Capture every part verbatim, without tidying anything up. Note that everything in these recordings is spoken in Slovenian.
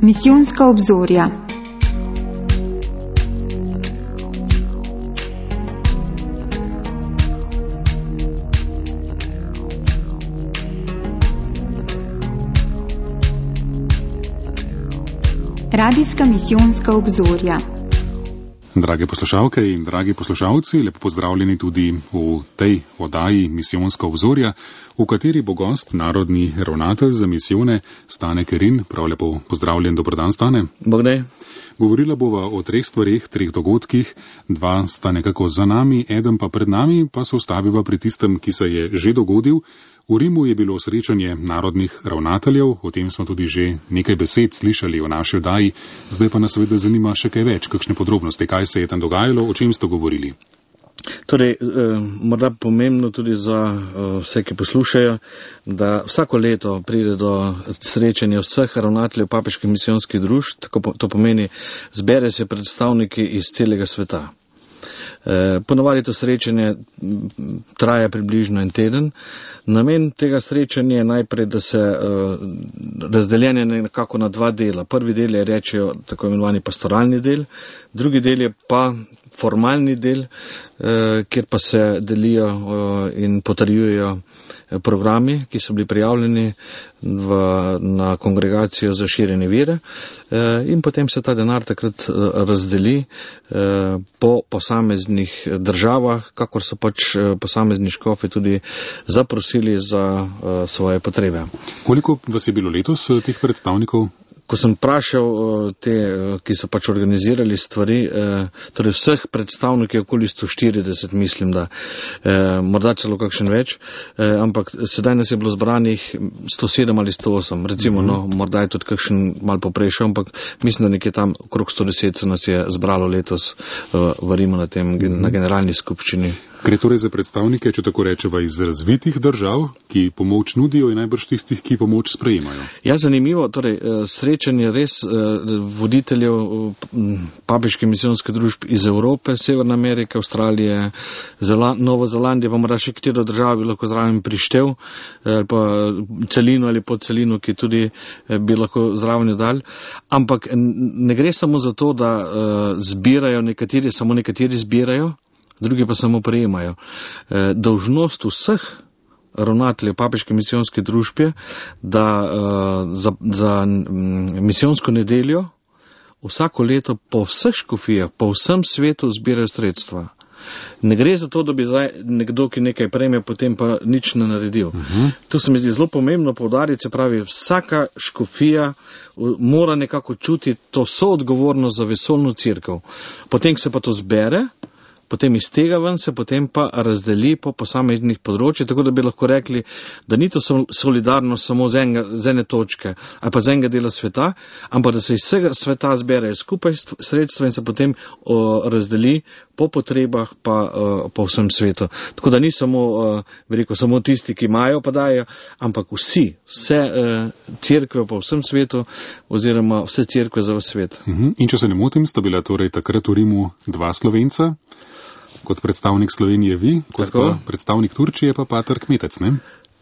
Misijonska obzorja. Radijska misijonska obzorja. Drage poslušalke in dragi poslušalci, lepo pozdravljeni tudi v tej oddaji Misijonska obzorja, v kateri bo gost narodni ravnatelj za misijone Stane Kerin. Prav lepo pozdravljen, dober dan, Stane. Bogdaj. Govorila bova o treh stvareh, treh dogodkih. Dva sta nekako za nami, eden pa pred nami, pa se ustaviva pri tistem, ki se je že dogodil. V Rimu je bilo srečanje narodnih ravnateljev, o tem smo tudi že nekaj besed slišali v naši oddaji, zdaj pa nas seveda zanima še kaj več, kakšne podrobnosti, kaj se je tam dogajalo, o čem ste govorili. Torej, eh, morda pomembno tudi za eh, vse, ki poslušajo, da vsako leto pride do srečanja vseh ravnateljev papeških misijonskih družb, tako po, to pomeni, zbere se predstavniki iz celega sveta. Eh, Ponavadi to srečanje traja približno en teden. Namen tega srečanja je najprej, da se uh, razdeljenje nekako na dva dela. Prvi del je rečejo tako imenovani pastoralni del, drugi del je pa formalni del, uh, kjer pa se delijo uh, in potrjujejo programi, ki so bili prijavljeni v, na kongregacijo za širjenje vere, uh, in potem se ta denar takrat uh, razdeli uh, po posameznih državah, kakor so pač uh, posamezni škofi tudi zaprosili za uh, svoje potrebe. Koliko vas je bilo letos teh predstavnikov? Ko sem vprašal uh, te, uh, ki so pač organizirali stvari, uh, torej vseh predstavnikov okoli sto štirideset, mislim, da uh, morda celo kakšen več, uh, ampak sedaj nas je bilo zbranih sto sedem ali sto osem, recimo, uh-huh. no, morda je tudi kakšen mal poprejšel, ampak mislim, da nekje tam okrog sto deset se nas je zbralo letos uh, v Rimu na tem, uh-huh. na generalni skupščini. Gre torej za predstavnike, če tako rečeva, iz razvitih držav, ki pomoč nudijo in najbrž tistih, ki pomoč sprejemajo. Ja, zanimivo, torej srečanje res voditeljev papeške misijonske družbe iz Evrope, Severne Amerike, Avstralije, Zela, Novo Zelandije, pa mora še katero državo bi lahko zraven prištev, ali pa celino ali podcelino, ki tudi bi lahko zraven dal. Ampak ne gre samo za to, da zbirajo nekateri, samo nekateri zbirajo, drugi pa samo prejemajo. E, dolžnost vseh ravnateljev papeške misijonske družbe, da uh, za, za m, misijonsko nedeljo vsako leto po vseh škofijah, po vsem svetu zbirajo sredstva. Ne gre za to, da bi zdaj nekdo, ki nekaj prejme, potem pa nič ne naredil. Uh-huh. To se mi zdi zelo pomembno poudariti, se pravi, vsaka škofija mora nekako čutiti to soodgovornost za vesoljno cerkev. Potem se pa to zbere, potem iz tega ven se potem pa razdeli po posameznih področjih, tako da bi lahko rekli, da ni to solidarnost samo z, enega, z ene točke ali pa z enega dela sveta, ampak da se iz vsega sveta zberejo skupaj sredstva in se potem o, razdeli po potrebah pa o, po vsem svetu. Tako da ni samo, o, bi rekel, samo tisti, ki imajo, pa dajo, ampak vsi, vse o, cerkve po vsem svetu oziroma vse cerkve za vse svet. Uh-huh. In če se ne motim, sta bila torej takrat v Rimu dva Slovenca, kot predstavnik Slovenije vi, kot pa predstavnik Turčije pa pater Kmetec, ne?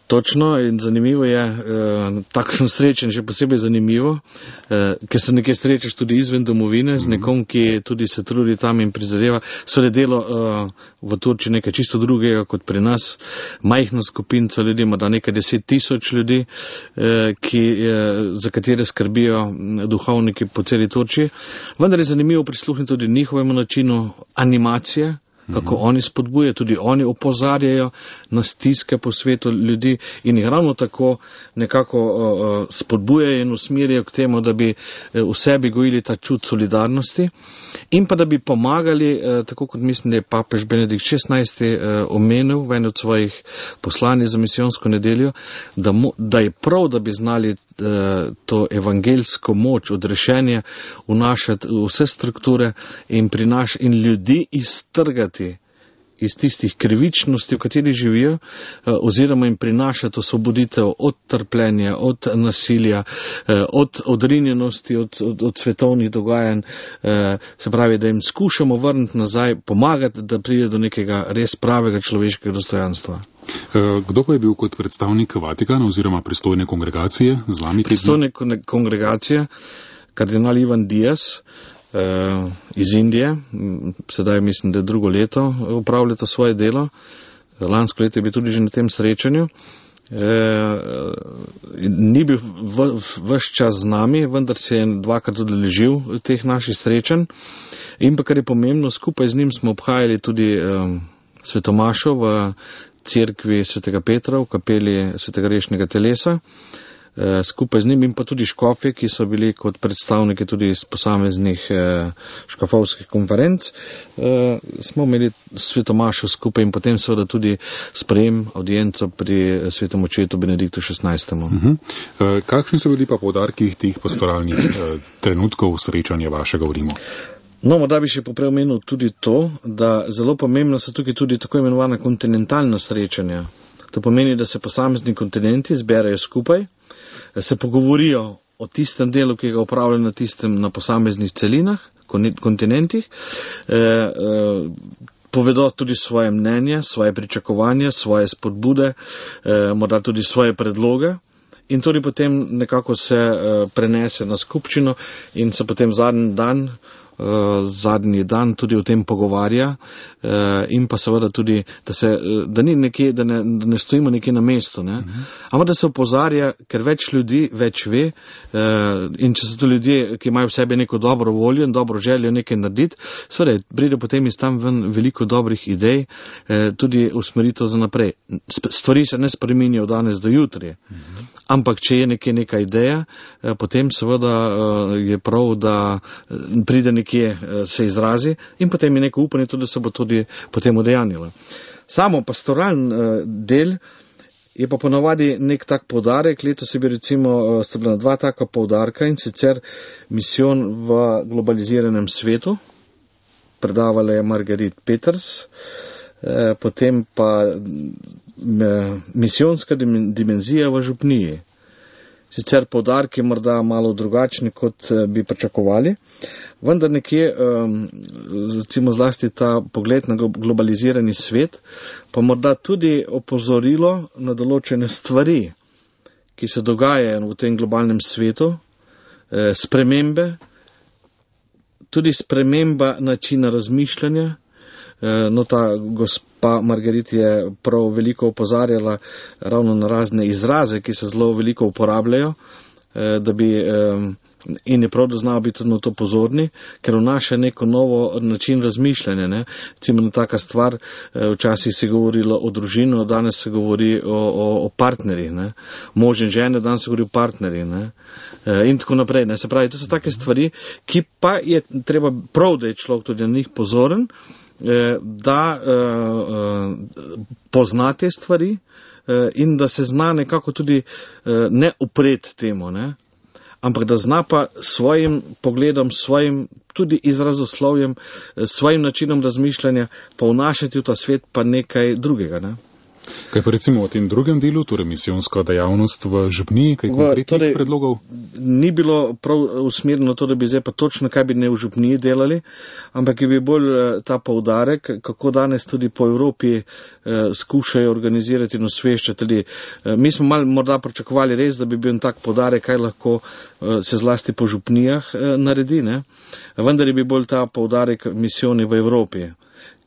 Točno, in zanimivo je, eh, takšno srečen, še posebej zanimivo, eh, ker se nekaj srečaš tudi izven domovine, z nekom, ki tudi se trudi tam in prizadeva. Sveda delo eh, v Turčiji nekaj čisto drugega kot pri nas, majhna skupinca ljudi, morda nekaj deset tisoč ljudi, eh, ki, eh, za katere skrbijo duhovniki po celi Turčiji. Vendar je zanimivo prisluhniti tudi njihovemu načinu animacije, kako oni spodbujajo, tudi oni opozarjajo na stiske po svetu ljudi in jih ravno tako nekako uh, spodbujajo in usmerjajo k temu, da bi v sebi gojili ta čut solidarnosti in pa da bi pomagali, uh, tako kot mislim, da je papež Benedikt šestnajsti uh, omenil v eni od svojih poslanj za misijonsko nedeljo, da, mo, da je prav, da bi znali uh, to evangeljsko moč, odrešenje vnašati v vse strukture in, prinaš, in ljudi iztrgati iz tistih krivičnosti, v kateri živijo, oziroma jim prinašati osvoboditev od trpljenja, od nasilja, od odrinjenosti, od, od, od svetovnih dogajanj, se pravi, da jim skušamo vrniti nazaj, pomagati, da pride do nekega res pravega človeškega dostojanstva. Kdo pa je bil kot predstavnik Vatikana oziroma pristojne kongregacije z vami? Pristojne kongregacije, kardinal Ivan Dias iz Indije, sedaj mislim, da je drugo leto upravlja to svoje delo. Lansko leto je bil tudi že na tem srečanju. E, ni bil ves čas z nami, vendar se je dvakrat odeležil teh naših srečanj. In pa kar je pomembno, skupaj z njim smo obhajali tudi e, svetomašo v cerkvi svetega Petra, v kapeli svetega Rešnega telesa. E, skupaj z njim in pa tudi škofje, ki so bili kot predstavniki tudi iz posameznih e, škofovskih konferenc, e, smo imeli svetomašo skupaj in potem seveda tudi sprejem, audienco pri svetem očetu Benediktu šestnajstemu. Uh-huh. E, kakšni so bili pa poudarki teh pastoralnih e, trenutkov srečanja vašega v Rimu? No, morda bi še poprej omenil tudi to, da zelo pomembno so tukaj tudi tako imenovana kontinentalna srečanja. To pomeni, da se posamezni kontinenti zberajo skupaj, se pogovorijo o tistem delu, ki ga upravljajo na tistem, na posameznih celinah, kontinentih, eh, eh, povedo tudi svoje mnenje, svoje pričakovanja, svoje spodbude, eh, morda tudi svoje predloge. In tudi potem nekako se eh, prenese na skupščino in se potem zadnji dan Uh, zadnji dan tudi o tem pogovarja uh, in pa seveda tudi, da, se, uh, da, ni nekje, da, ne, da ne stojimo nekje na mestu, ne? Uh-huh. Ampak da se opozarja, ker več ljudi več ve uh, in če so to ljudje, ki imajo v sebi neko dobro voljo in dobro željo nekaj narediti, seveda pride potem iz tam ven veliko dobrih idej, uh, tudi usmeritev za naprej. Stvari se ne spreminjajo danes do jutri, uh-huh. Ampak če je nekje neka ideja, uh, potem seveda uh, je prav, da pride nekje se izrazi in potem je neko upanje tudi, da se bo tudi potem udejanjilo. Samo pastoralen del je pa ponavadi nek tak poudarek. Letos je bil recimo sta bila dva taka poudarka in sicer misijon v globaliziranem svetu. Predavala je Margaret Peters, potem pa misijonska dimenzija v župniji. Sicer poudarki morda malo drugačni, kot bi pričakovali, vendar nekje, recimo zlasti ta pogled na globalizirani svet, pa morda tudi opozorilo na določene stvari, ki se dogajajo v tem globalnem svetu, spremembe, tudi sprememba načina razmišljanja. No, ta gospa Margaret je prav veliko opozarjala ravno na razne izraze, ki se zelo veliko uporabljajo, da bi, in je prav, da znajo biti na to pozorni, ker vnaša neko novo način razmišljanja. Ne? Recimo na taka stvar, včasih se je govorilo o družini, danes se govori o, o, o partnerjih, ne? Mož in žene, danes se govori o partnerjih, ne? In tako naprej. Ne? Se pravi, to so take stvari, ki pa je treba prav, da je človek tudi na njih pozoren, da uh, pozna te stvari uh, in da se zna nekako tudi uh, ne upret temu, ne? Ampak da zna pa svojim pogledom, svojim tudi izrazoslovjem, svojim načinom razmišljanja pa vnašati v ta svet pa nekaj drugega, ne? Kaj pa recimo v tem drugem delu, torej misijonska dejavnost v župniji, kaj konkretnih torej, predlogov? Ni bilo prav usmerjeno to, da bi zdaj pa točno kaj bi ne v župniji delali, ampak je bil bolj ta poudarek, kako danes tudi po Evropi eh, skušajo organizirati in osveščati. Eh, mi smo malo morda pričakovali res, da bi bil tak poudarek, kaj lahko eh, se zlasti po župnijah eh, naredi, ne? Vendar je bil bolj ta poudarek misijoni v Evropi.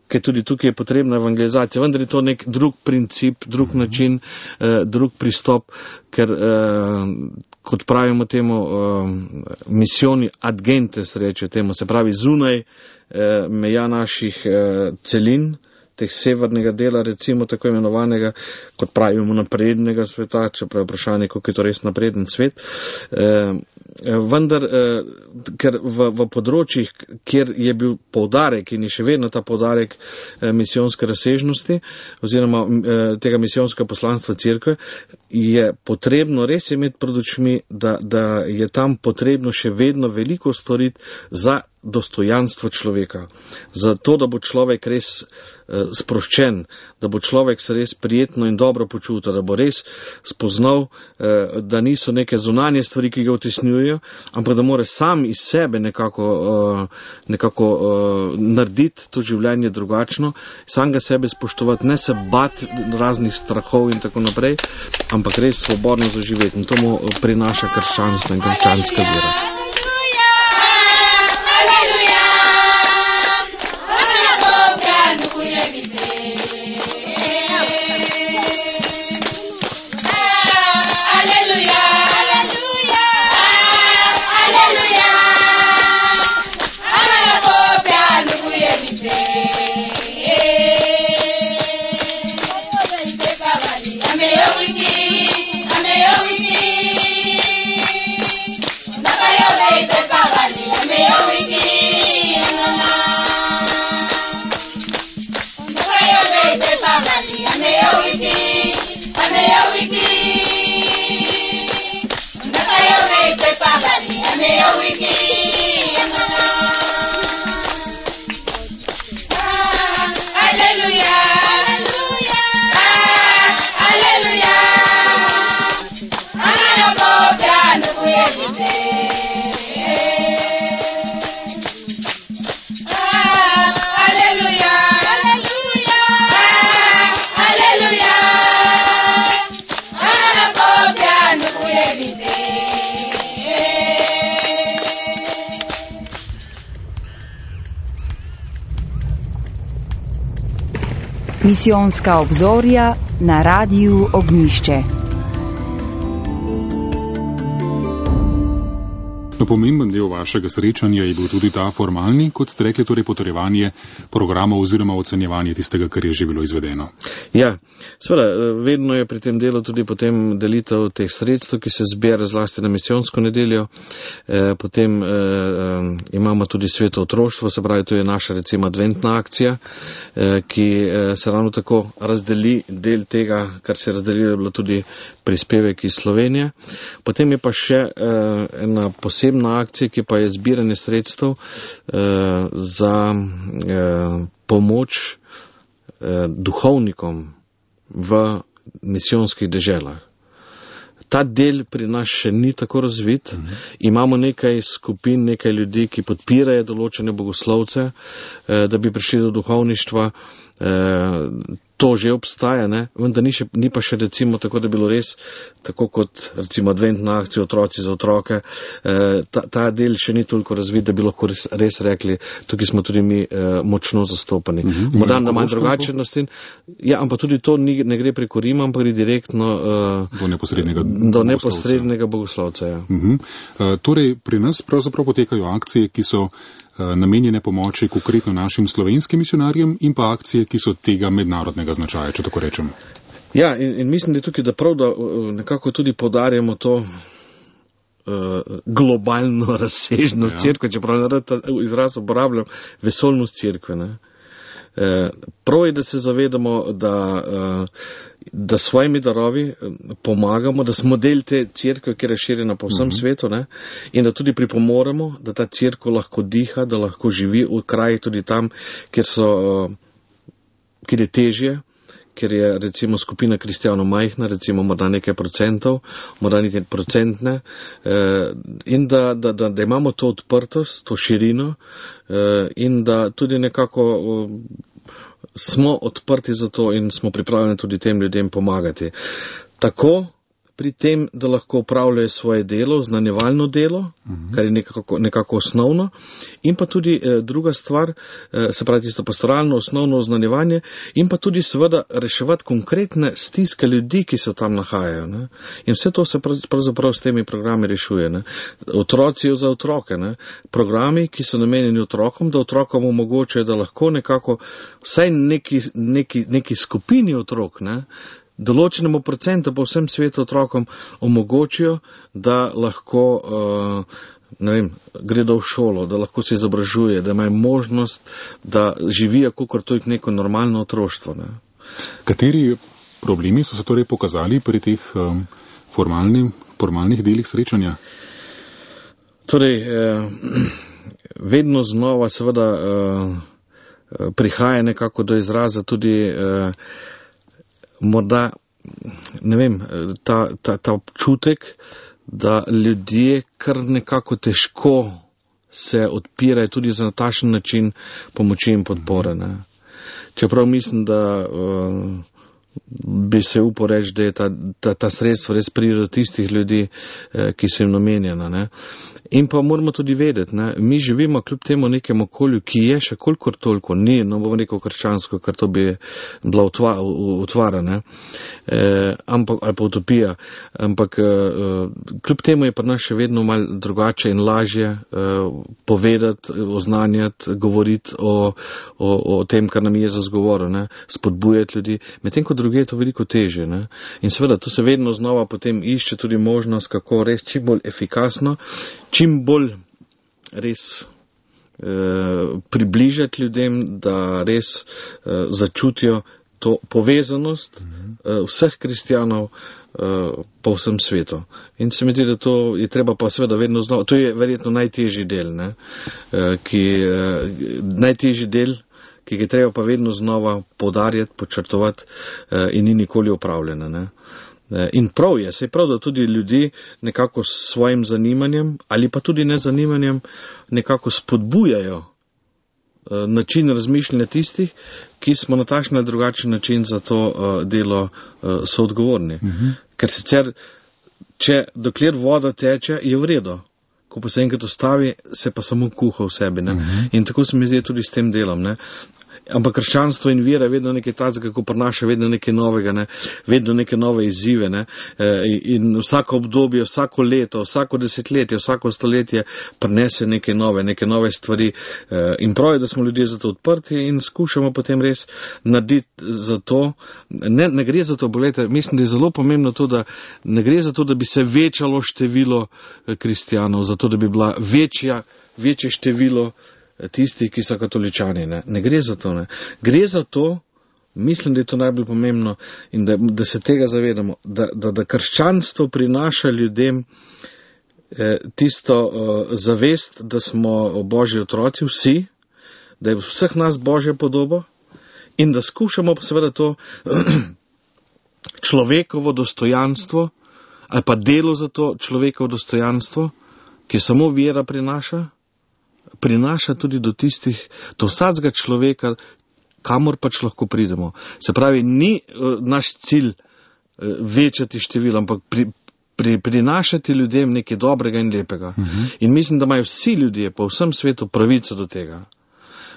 Ker tudi tukaj je potrebna evangelizacija, vendar je to nek drug princip, drug način, eh, drug pristop, ker, eh, kot pravimo temu, eh, misijoni ad gentes, reče temu, se pravi zunaj eh, meja naših eh, celin, teh severnega dela, recimo tako imenovanega, kot pravimo, naprednega sveta, čeprav je vprašanje, kako je to res napreden svet. Eh, vendar, eh, ker v, v področjih, kjer je bil poudarek in je še vedno ta poudarek eh, misijonske razsežnosti oziroma eh, tega misijonskega poslanstva cerkve, je potrebno res imeti pred očmi, da, da je tam potrebno še vedno veliko storiti za dostojanstvo človeka. Zato, da bo človek res eh, sproščen, da bo človek se res prijetno in dobro počutil, da bo res spoznal, eh, da niso neke zunanje stvari, ki ga utisnjujejo, ampak da mora sam iz sebe nekako, eh, nekako eh, narediti to življenje drugačno, sam ga sebe spoštovati, ne se bati raznih strahov in tako naprej, ampak res svobodno zaživeti. In to mu prinaša krščanstvo in krščanska vera. Misijonska obzorja na Radiu Ognjišče. No, pomemben del vašega srečanja je bil tudi ta formalni, kot ste rekli, torej potrjevanje programov oziroma ocenjevanje tistega, kar je že bilo izvedeno. Ja, seveda, vedno je pri tem delu tudi potem delitev teh sredstev, ki se zbira zlasti na misijonsko nedeljo. E, potem e, imamo tudi sveto otroštvo, se pravi, to je naša recimo adventna akcija, e, ki e, se ravno tako razdeli del tega, kar se je razdelilo, je bilo tudi prispevek iz Slovenije. Potem je pa še e, ena posebna akcija, ki pa je zbiranje sredstev eh, za eh, pomoč eh, duhovnikom v misijonskih deželah. Ta del pri nas še ni tako razvit. Mhm. Imamo nekaj skupin, nekaj ljudi, ki podpirajo določene bogoslovce, eh, da bi prišli do duhovništva. Eh, to že obstaja, ne? Vendar ni, še, ni pa še recimo tako, da bi bilo res tako kot recimo adventna akcija otroci za otroke. Eh, ta, ta del še ni toliko razvit, da bi lahko res, res rekli, tukaj smo tudi mi eh, močno zastopani. Mhm. Morda na manj drugačen način. Ja, ampak tudi to ni, ne gre preko Rima, ampak gre direktno eh, do neposrednega, do neposrednega bogoslovca. Ja. Mhm. Uh, torej, pri nas pravzaprav potekajo akcije, ki so namenjene pomoči konkretno našim slovenskim misionarjem in pa akcije, ki so tega mednarodnega značaja, če tako rečem. Ja, in, in mislim, da je tukaj, da prav, da nekako tudi podarjamo to uh, globalno razsežnost ja. Cerkve, čeprav ne ta izraz uporabljam, vesoljnost cerkve. Ne? Uh, prav je, da se zavedamo, da uh, da svojimi darovi pomagamo, da smo del te cerkve, ki je razširjena po vsem uh-huh. svetu, ne? In da tudi pripomoremo, da ta cerkev lahko diha, da lahko živi v kraji tudi tam, kjer so, kjer je težje, kjer je recimo skupina kristijanov majhna, recimo morda nekaj procentov, morda nekaj procentne, eh, in da, da, da, da imamo to odprtost, to širino eh, in da tudi nekako eh, smo odprti za to in smo pripravljeni tudi tem ljudem pomagati. Tako pri tem, da lahko upravljajo svoje delo, znanjevalno delo, uh-huh. kar je nekako, nekako osnovno, in pa tudi eh, druga stvar, eh, se pravi tisto pastoralno, osnovno znanjevanje, in pa tudi seveda reševati konkretne stiske ljudi, ki se tam nahajajo. Ne? In vse to se pravzaprav s temi programi rešuje. Ne? Otroci za otroke, ne? Programi, ki so namenjeni otrokom, da otrokom omogočajo, da lahko nekako vsaj neki, neki, neki skupini otrok, ne? Določenemu procentu po vsem svetu otrokom omogočijo, da lahko uh, ne vem, gredo v šolo, da lahko se izobražuje, da imajo možnost, da živijo kakor to je neko normalno otroštvo. Ne. Kateri problemi so se torej pokazali pri teh um, formalni, formalnih delih srečanja? Torej, eh, vedno znova seveda eh, prihaja nekako do izraza tudi eh, morda, ne vem, ta, ta, ta občutek, da ljudje kar nekako težko se odpirajo tudi za takšen način pomoči in podpore. Ne. Čeprav mislim, da uh, bi se upal reči, da je ta, ta, ta sredstva res pride do tistih ljudi, eh, ki so jim namenjena. Ne. In pa moramo tudi vedeti, ne, mi živimo kljub temu nekem okolju, ki je še kolikor toliko, ni, no bom rekel krščansko, ker to bi bila utvara, utvara ne, e, ampak, ali pa utopija, ampak e, kljub temu je pri nas še vedno malo drugače in lažje e, povedati, oznanjati, govoriti o, o, o tem, kar nam je Jezus govoril, ne, spodbujati ljudi, medtem ko druge je to veliko težje. Ne. In seveda, tu se vedno znova potem išče tudi možnost, kako res čim bolj efikasno, čim bolj res eh, približati ljudem, da res eh, začutijo to povezanost eh, vseh kristijanov eh, po vsem svetu. In se mi zdi, da to je treba pa seveda vedno znova, to je verjetno najtežji del, ne, eh, ki, eh, najtežji del, ki ga treba pa vedno znova poudarjati, počrtovati eh, in ni nikoli opravljena. Ne. In prav je, se je prav, da tudi ljudi nekako s svojim zanimanjem ali pa tudi nezanimanjem nekako spodbujajo uh, način razmišljanja tistih, ki smo na takšen ali drugačen način za to uh, delo uh, soodgovorni. Uh-huh. Ker sicer, če dokler voda teče, je v redu. Ko pa se enkrat ustavi, se pa samo kuha v sebi. Ne? Uh-huh. In tako se mi zdi tudi s tem delom. Ne? ampak krščanstvo in vera je vedno nekaj tazga, kako prinaša vedno nekaj novega, ne? Vedno neke nove izzive, ne? In vsako obdobje, vsako leto, vsako desetletje, vsako stoletje prinese neke nove, neke nove stvari in prav je, da smo ljudje za to odprti in skušamo potem res narediti za to. Ne, ne gre za to, gledajte, mislim, da je zelo pomembno to, da ne gre za to, da bi se večalo število kristijanov, za to, da bi bila večja, večje število tistih, ki so katoličani. Ne, ne gre za to. Ne. Gre za to, mislim, da je to najbolj pomembno in da, da se tega zavedamo, da, da, da krščanstvo prinaša ljudem eh, tisto eh, zavest, da smo Božji otroci, vsi, da je vseh nas Božja podoba in da skušamo pa seveda to človekovo dostojanstvo ali pa delo za to človekovo dostojanstvo, ki samo vera prinaša, prinaša tudi do tistih, do vsakega človeka, kamor pač lahko pridemo. Se pravi, ni uh, naš cilj uh, večati število, ampak pri, pri, prinašati ljudem nekaj dobrega in lepega. Uh-huh. In mislim, da imajo vsi ljudje po vsem svetu pravico do tega.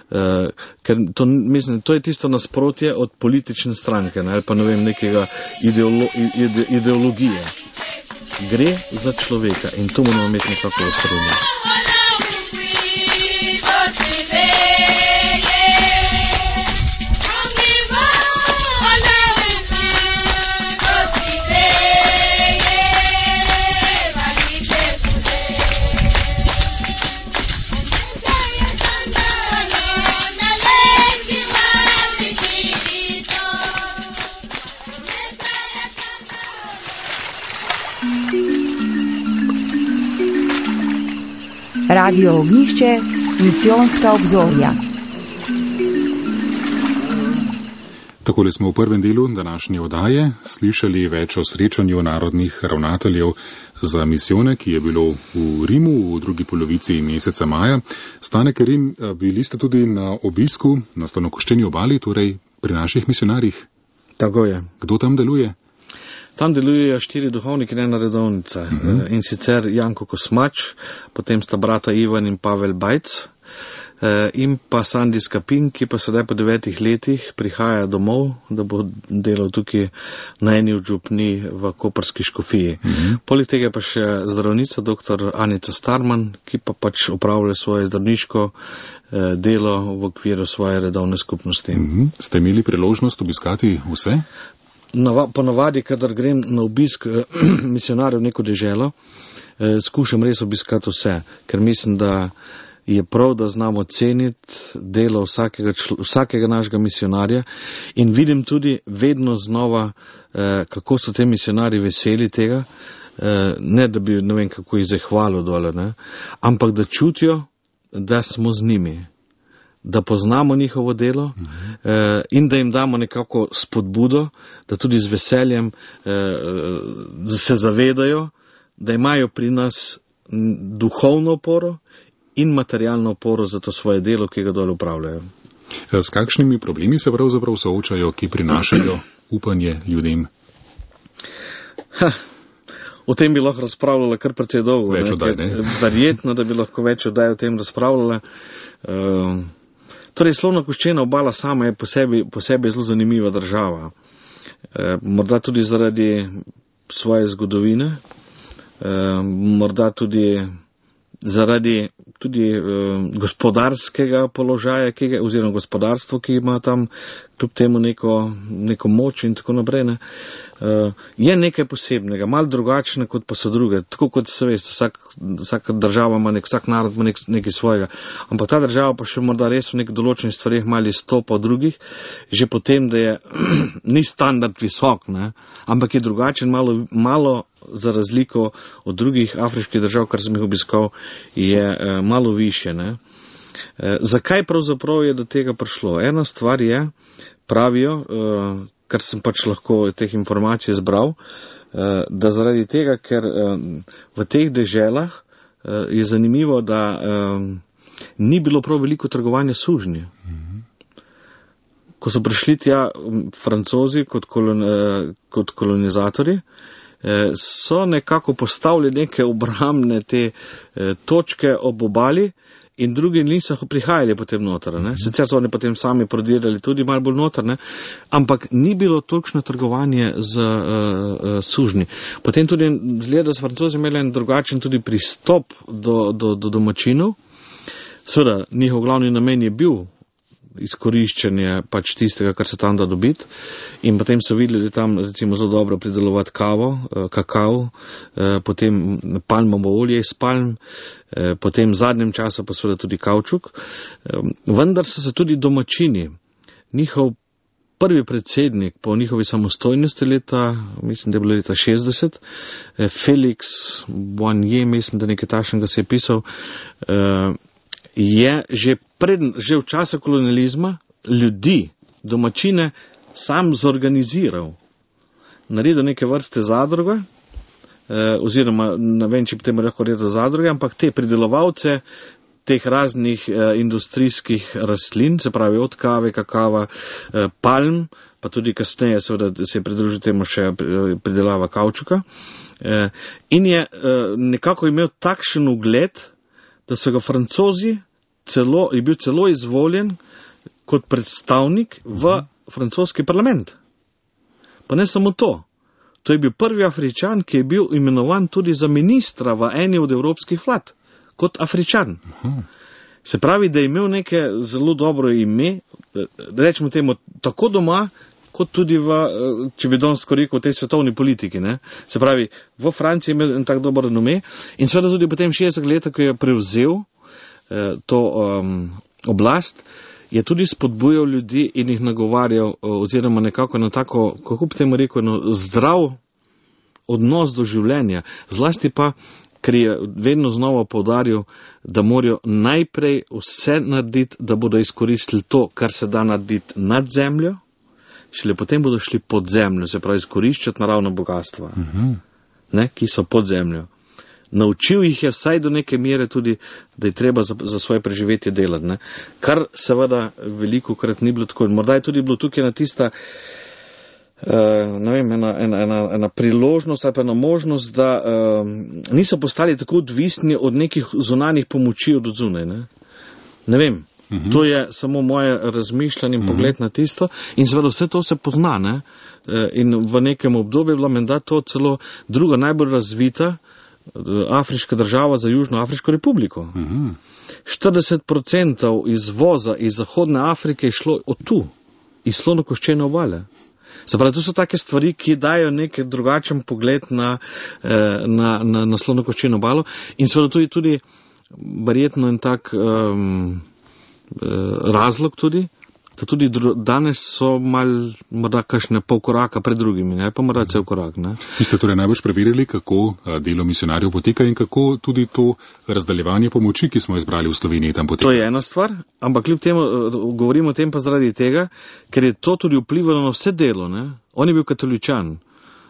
Uh, ker to, mislim, to je tisto nasprotje od politične stranke, ne, ali pa ne vem, nekega ideolo, ide, ideologije. Gre za človeka in to moramo imeti nekako v spredju. Radio Ognjišče, misijonska obzorja. Takole smo v prvem delu današnje oddaje slišali več o srečanju narodnih ravnateljev za misijone, ki je bilo v Rimu v drugi polovici meseca maja. Stane Kerin, bili ste tudi na obisku na Slonokoščeni obali, torej pri naših misionarjih. Tako je. Kdo tam deluje? Tam delujejo štiri duhovniki in ena redovnica. Uh-huh. In sicer Janko Kosmač, potem sta brata Ivan in Pavel Bajc in pa Sandi Skapin, ki pa sedaj po devetih letih prihaja domov, da bo delal tukaj na eni od župni v koprski škofiji. Uh-huh. Poleg tega pa še zdravnica dr. Anica Starman, ki pa pač opravlja svoje zdravniško delo v okviru svoje redovne skupnosti. Uh-huh. Ste imeli priložnost obiskati vse? Ponavadi, kadar grem na obisk eh, misionarjev v neko deželo, eh, skušam res obiskati vse, ker mislim, da je prav, da znamo ceniti delo vsakega, vsakega našega misionarja in vidim tudi vedno znova, eh, kako so te misionarji veseli tega, eh, ne da bi, ne vem, kako jih zahvalil dole, ne, ampak da čutijo, da smo z njimi, da poznamo njihovo delo uh-huh. eh, in da jim damo nekako spodbudo, da tudi z veseljem eh, se zavedajo, da imajo pri nas duhovno oporo in materialno oporo za to svoje delo, ki ga dole upravljajo. S kakšnimi problemi se pravzaprav soočajo, ki prinašajo upanje ljudem? Ha, o tem bi lahko razpravljala kar precej dolgo. Več oddaj, ne? Verjetno, da bi lahko več oddaj o tem razpravljala. Uh, Torej, Slonokoščena obala sama je po sebi, po sebi zelo zanimiva država. E, morda tudi zaradi svoje zgodovine, e, morda tudi zaradi tudi e, gospodarskega položaja, ki ga, oziroma gospodarstvo, ki ima tam kljub temu neko, neko moč in tako naprej. Ne. Uh, je nekaj posebnega, malo drugačne kot pa so druge, tako kot se veste, vsak, vsaka država ima nek, vsak narod ima nek, nekaj svojega, ampak ta država pa še morda res v nek določenih stvarih malo izstopa od drugih, že potem, da je ni standard visok, ne, ampak je drugačen, malo, malo za razliko od drugih afriških držav, kar sem jih obiskal, je uh, malo više. Ne. Uh, zakaj pravzaprav je do tega prišlo? Ena stvar je, pravijo, uh, kar sem pač lahko teh informacij zbral, da zaradi tega, ker v teh deželah je zanimivo, da ni bilo prav veliko trgovanja sužnji. Ko so prišli tja Francozi kot, kolon, kot kolonizatori, so nekako postavili neke obrambne te točke ob obali in drugi niso prihajali potem noter. Ne? Sicer so oni potem sami prodirali tudi malo bolj noter, ne? Ampak ni bilo točno trgovanje z uh, uh, sužnji. Potem tudi zgleda, da so Francozi imeli en drugačen tudi pristop do, do, do domačinov. Seveda, njihov glavni namen je bil izkoriščanje pač tistega, kar se tam da dobiti. In potem so videli, da tam recimo zelo dobro pridelovati kavo, kakao, potem palmovo olje iz palm, potem v zadnjem času pa seveda tudi kavčuk. Vendar so se tudi domačini, njihov prvi predsednik po njihovi samostojnosti leta, mislim, da je bilo leta šestdeset, Felix Boigny, mislim, da nekaj takšnega se je pisal, je že, pred, že v času kolonializma ljudi, domačine, sam zorganiziral. Naredil neke vrste zadruge, eh, oziroma ne vem, če bi temu lahko rekel zadruge, ampak te pridelovalce teh raznih eh, industrijskih rastlin, se pravi od kave, kakava, eh, palm, pa tudi kasneje seveda se je pridružil temu še pridelava kavčuka. Eh, in je eh, nekako imel takšen ugled, da so ga Francozi celo, je bil celo izvoljen kot predstavnik v francoski parlament. Pa ne samo to. To je bil prvi Afričan, ki je bil imenovan tudi za ministra v eni od evropskih vlad, kot Afričan. Se pravi, da je imel neke zelo dobro ime, da rečemo temu, tako doma, kot tudi v, če bi danes rekel, v tej svetovni politiki. Ne? Se pravi, v Franciji je imel en tak dober nome in seveda tudi potem šestdeset let, ko je prevzel eh, to um, oblast, je tudi spodbujal ljudi in jih nagovarjal, oziroma nekako na tako, kako bi temu rekel, no, zdrav odnos do življenja. Zlasti pa, ker je vedno znova poudaril, da morajo najprej vse narediti, da bodo izkoristili to, kar se da narediti nad zemljo, šele potem bodo šli pod zemljo, se pravi izkoriščati naravno bogatstva, uh-huh. ne, ki so pod zemljo. Naučil jih je vsaj do neke mere tudi, da je treba za, za svoje preživetje delati. Ne. Kar seveda veliko krat ni bilo tako. Morda je tudi bilo tukaj na tista uh, ne vem, ena, ena, ena, ena priložnost ali pa ena možnost, da uh, niso postali tako odvisni od nekih zunanjih pomoči od odzunaj. Ne. ne vem. Uhum. To je samo moje razmišljanje in pogled uhum. Na tisto in seveda vse to se pozna, ne? In v nekem obdobju je bila menda to celo druga najbolj razvita afriška država za Južno Afriško republiko. Uhum. štirideset procentov izvoza iz Zahodne Afrike je šlo od tu, iz slonokoščene obale. Se pravi, to so take stvari, ki dajo nek drugačen pogled na, na, na, na slonokoščeno obalo in seveda tudi, tudi verjetno en tak um, razlog tudi, da tudi dru, danes so mal morda kakšne pol koraka pred drugimi, ne pa morda cel korak. Ne. Vi ste torej najbolj preverili, kako delo misionarjev poteka in kako tudi to razdaljevanje pomoči, ki smo izbrali v Sloveniji, tam poteka. To je ena stvar, ampak kljub temu govorimo o tem pa zaradi tega, ker je to tudi vplivalo na vse delo. Ne. On je bil katoličan.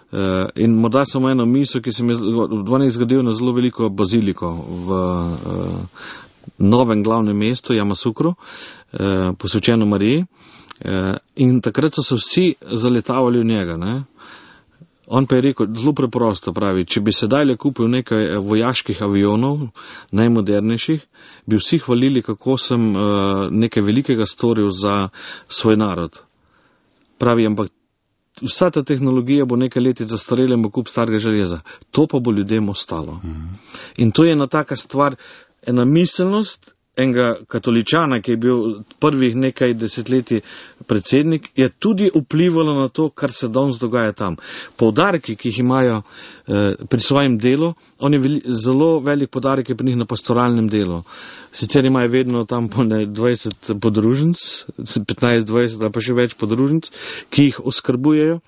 Uh, in morda samo eno misel, ki se mi je zgodil na zelo veliko baziliko v uh, novem glavnem mestu, Jamasukru, eh, posvečeno Mariji, eh, in takrat so se vsi zaletavali v njega. Ne? On pa je rekel, zelo preprosto pravi, če bi sedaj le kupil nekaj vojaških avionov, najmodernejših, bi vsi hvalili, kako sem eh, nekaj velikega storil za svoj narod. Pravi, ampak vsa ta tehnologija bo nekaj leti zastarela in bo kup starega železa. To pa bo ljudem ostalo. Mhm. In to je ena taka stvar, ena miselnost enega katoličana, ki je bil prvih nekaj desetletij predsednik, je tudi vplivalo na to, kar se danes dogaja tam. Poudarki, ki jih imajo eh, pri svojem delu, on je veli, zelo velik poudarek je pri njih na pastoralnem delu. Sicer imajo vedno tam po dvajset podružnic, petnajst dvajset ali pa še več podružnic, ki jih oskrbujejo.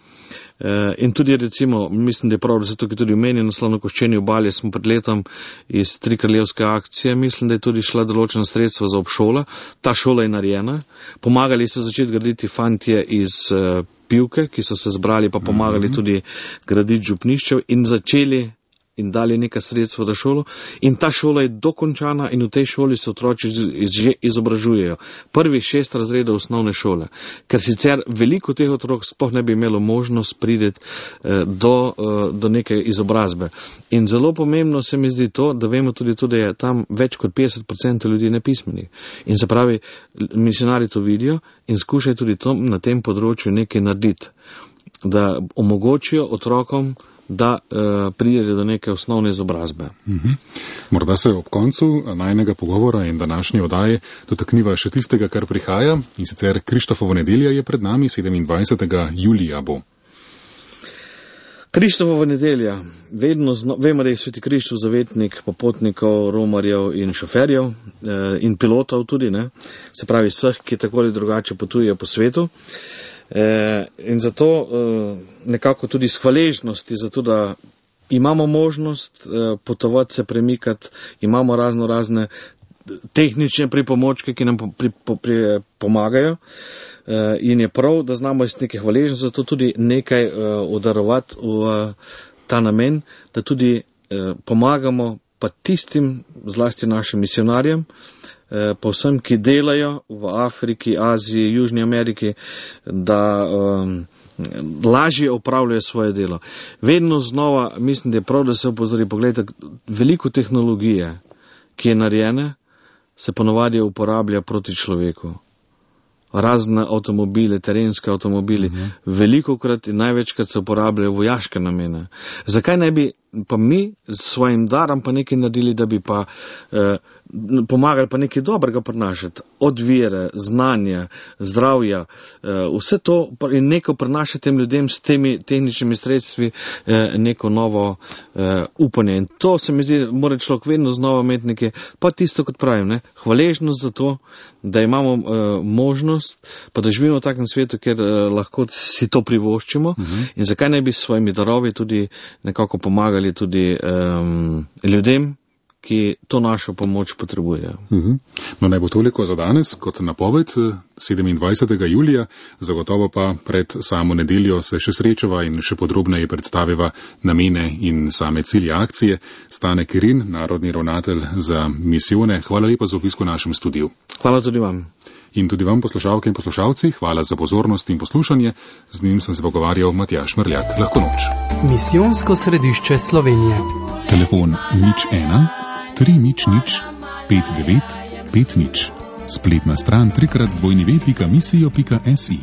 Uh, in tudi recimo, mislim, da je prav, da se tukaj tudi omeni na slonokoščeni obali, smo pred letom iz Trikraljevske akcije, mislim, da je tudi šla določena sredstva za obšola. Ta šola je narejena. Pomagali so začeti graditi fantje iz uh, Pivke, ki so se zbrali, pa pomagali mm-hmm. tudi graditi župniščev in začeli in dali nekaj sredstva za šolo in ta šola je dokončana in v tej šoli se otroci že izobražujejo. Prvih šest razredov osnovne šole, ker sicer veliko teh otrok sploh ne bi imelo možnost prideti do, do neke izobrazbe. In zelo pomembno se mi zdi to, da vemo tudi to, da je tam več kot petdeset odstotkov ljudi nepismenih. In se pravi, misionari to vidijo in skušajo tudi to, na tem področju nekaj narediti, da omogočijo otrokom, da uh, pridejo do neke osnovne izobrazbe. Uh-huh. Morda se ob koncu najnega pogovora in današnje oddaje dotakniva še tistega, kar prihaja, in sicer Krištofovo nedelja je pred nami, sedemindvajsetega julija bo. Krištofova nedelja. Vedno zno, vemo, da je sveti Krištof zavetnik popotnikov, romarjev in šoferjev eh, in pilotov tudi, ne? Se pravi vseh, ki tako ali drugače potujejo po svetu. Eh, in zato eh, nekako tudi s hvaležnosti, zato da imamo možnost eh, potovati, se premikati, imamo razno razne tehnične pripomočke, ki nam pri, pri, pomagajo. In je prav, da znamo iz neke hvaležnosti, zato tudi nekaj uh, udarovati v uh, ta namen, da tudi uh, pomagamo pa tistim, zlasti našim misionarjem, uh, pa vsem, ki delajo v Afriki, Aziji, Južni Ameriki, da um, lažje opravljajo svoje delo. Vedno znova mislim, da je prav, da se opozori, pogledajte, veliko tehnologije, ki je narejene, se ponovadi uporablja proti človeku. Razne avtomobile, terenske avtomobili, uh-huh. veliko krat in največkrat se uporabljajo vojaške namene. Zakaj ne bi pa mi s svojim darom pa nekaj naredili, da bi pa eh, pomagali pa nekaj dobrega prinašati, od vere, znanja, zdravja, eh, vse to in neko prinašati tem ljudem s temi tehničnimi sredstvi eh, neko novo eh, upanje. In to se mi zdi, mora človek vedno znova imeti nekaj, pa tisto, kot pravim, ne, hvaležnost za to, da imamo eh, možnost, pa da živimo v takem svetu, kjer eh, lahko si to privoščimo uh-huh. in zakaj ne bi s svojimi darovi tudi nekako pomagali tudi um, ljudem, ki to našo pomoč potrebujejo. Uh-huh. No, naj bo toliko za danes, kot napoved sedemindvajsetega julija, zagotovo pa pred samo nedeljo se še srečava in še podrobneje predstaviva namene in same cilje akcije. Stane Kerin, narodni ravnatelj za misijone, hvala lepa za obisk v našem studiu. Hvala tudi vam. In tudi vam, poslušalke in poslušalci, hvala za pozornost in poslušanje. Z njim sem se pogovarjal Matjaž Mrljak. Lahko noč. Misijonsko središče Slovenije. Telefon nič ena, tri nič nič, pet devet, pet nič. Spletna stran trikrat dvojni ve pika misijo pika si.